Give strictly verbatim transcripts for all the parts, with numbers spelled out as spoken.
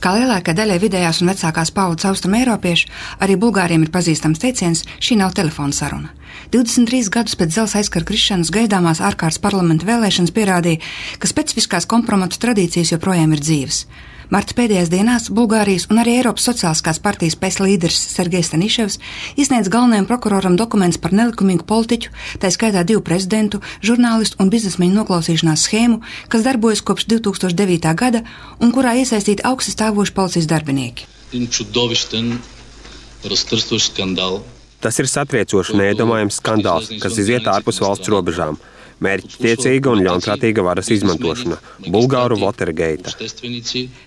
Kā lielākai daļai vidējās un vecākās paaudzes austrumu eiropiešu, arī bulgāriem ir pazīstams teiciens: šī nav telefona saruna. divdesmit trīs gadus pēc dzelzs aizkara krišanas gaidāmās ārkārtas parlamenta vēlēšanas pierādīja, ka specifiskās kompromatu tradīcijas joprojām ir dzīves. Marta pēdējās dienās Bulgārijas un arī Eiropas sociāliskās partijas pēc līderis Sergejs Staniševs izsniedz galvenajam prokuroram dokumentus par nelikumīgu politiķu, tā skaitā divu prezidentu, žurnālistu un biznesmeņu noklausīšanās schēmu, kas darbojas kopš divi tūkstoši devītā gada un kurā iesaistīti augsti stāvoši policijas darbinieki. Tas ir satriecošs, neiedomājams skandāls, kas iziet ārpus valsts robežām. Mērķtiecīga un ļaunprātīga varas izmantošana – Bulgāru Watergate.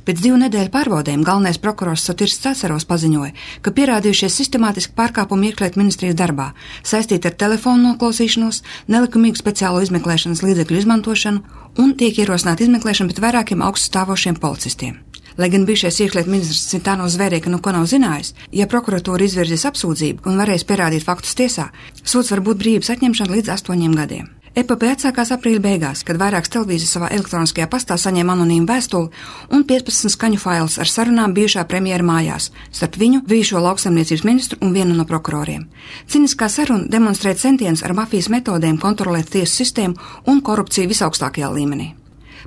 Pēc divu nedēļu pārbaudēm galvenais prokurors Sotirs Cacaros paziņoja, ka pierādījušies sistemātiski pārkāpumi iekšlietu ministrijas darbā, saistīti ar telefonu noklausīšanos, nelikumīgu speciālo izmeklēšanas līdzekļu izmantošanu un tiek ierosināta izmeklēšana pret vairākiem augststāvošiem policistiem. Lai gan bijušais iekšlietu ministrs Cvitāno zvērēja, ka nu ko nav zinājis, ja prokuratūra izvirzīs apsūdzību un varēs pierādīt faktus tiesā, sods var būt brīvības atņemšana līdz astoņiem gadiem. Epopeja atsākās aprīļa beigās, kad vairākas televīzijas savā elektroniskajā pastā saņēma anonīmu vēstuli un piecpadsmit skaņu failus ar sarunām bijušā premjera mājās, starp viņu, bijušo lauksaimniecības ministru un vienu no prokuroriem. Ciniskā saruna demonstrē centienus ar mafijas metodēm kontrolēt tiesu sistēmu un korupciju visaugstākajā līmenī.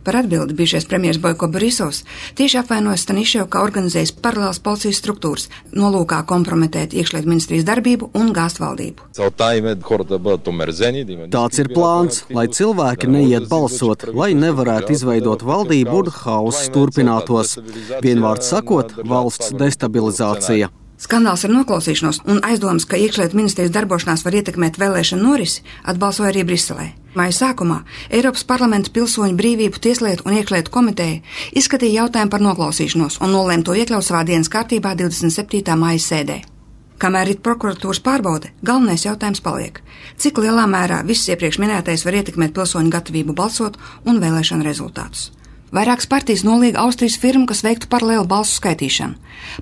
Par atbildi bijušais premjers Boiko Borisovs tieši apvainojas Staniševu, ka organizējis paralēlas policijas struktūras, nolūkā kompromitēt iekšlietu ministrijas darbību un gāzt valdību. Tāds ir plāns, lai cilvēki neiet balsot, lai nevarētu izveidot valdību un hauss turpinātos. Vienvārds sakot, valsts destabilizācija. Skandāls ar noklausīšanos un aizdomas, ka iekšlietu ministrijas darbošanās var ietekmēt vēlēšanu norisi, atbalsoja arī Briselē. Maija sākumā Eiropas parlamenta pilsoņu brīvību tieslietu un iekšlietu komiteja izskatīja jautājumu par noklausīšanos un nolēma to iekļaut savā dienas kārtībā divdesmit septītā maija sēdē. Kamēr ir prokuratūras pārbaude, galvenais jautājums paliek: cik lielā mērā viss iepriekš minētais var ietekmēt pilsoņu gatavību balsot un vēlēšanu rezultātus. Vairākas partijas nolīga Austrijas firmu, kas veiktu paralēlu balsu skaitīšanu.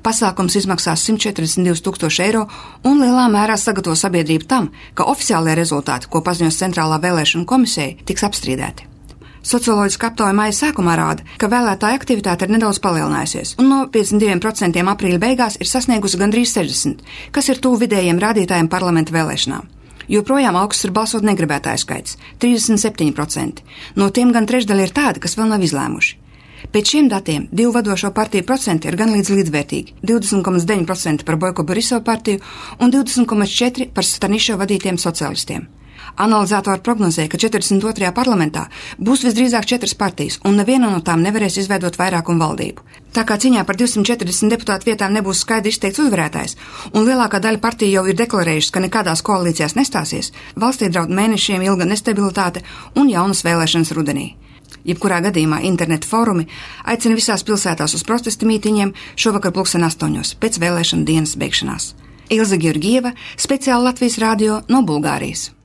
Pasākums izmaksās simt četrdesmit divus tūkstošus eiro un lielā mērā sagatavo sabiedrību tam, ka oficiālie rezultāti, ko paziņos Centrālā vēlēšana komisija, tiks apstrīdēti. Socioloģiska aptauja maija sākumā rāda, ka vēlētāja aktivitāte ir nedaudz palielinājusies un no piecdesmit diviem procentiem aprīļa beigās ir sasniegusi gandrīz sešdesmit, kas ir tuvu vidējiem rādītājiem parlamenta vēlēšanām. Joprojām augsts ir balsot negribētāju skaits – trīsdesmit septiņi procenti. No tiem gan trešdaļa ir tādi, kas vēl nav izlēmuši. Pēc šiem datiem divu vadošo partiju procenti ir gan līdz līdzvērtīgi – divdesmit komats deviņi procenti par Boiko Borisovu partiju un divdesmit komats četri procenti par Staniševu vadītiem sociālistiem. Analizātori prognozēja, ka četrdesmit otrajā parlamentā būs visdrīzāk četras partijas, un neviena no tām nevarēs izveidot vairākumu valdību. Tā kā ciņā par divsimt četrdesmit deputātu vietām nebūs skaidri izteikts uzvarētājs, un lielākā daļa partiju jau ir deklarējušas, ka nekādās koalīcijās nestāsies, valstī draud mēnešiem ilga nestabilitāte un jaunas vēlēšanas rudenī. Jebkurā gadījumā interneta fórumi aicina visās pilsētās uz protesta mītiņiem šovakar pulksten astoņos pēc vēlēšana dienas beigšanās. Ilze Georgieva, speciāli Latvijas radio no Bulgārijas.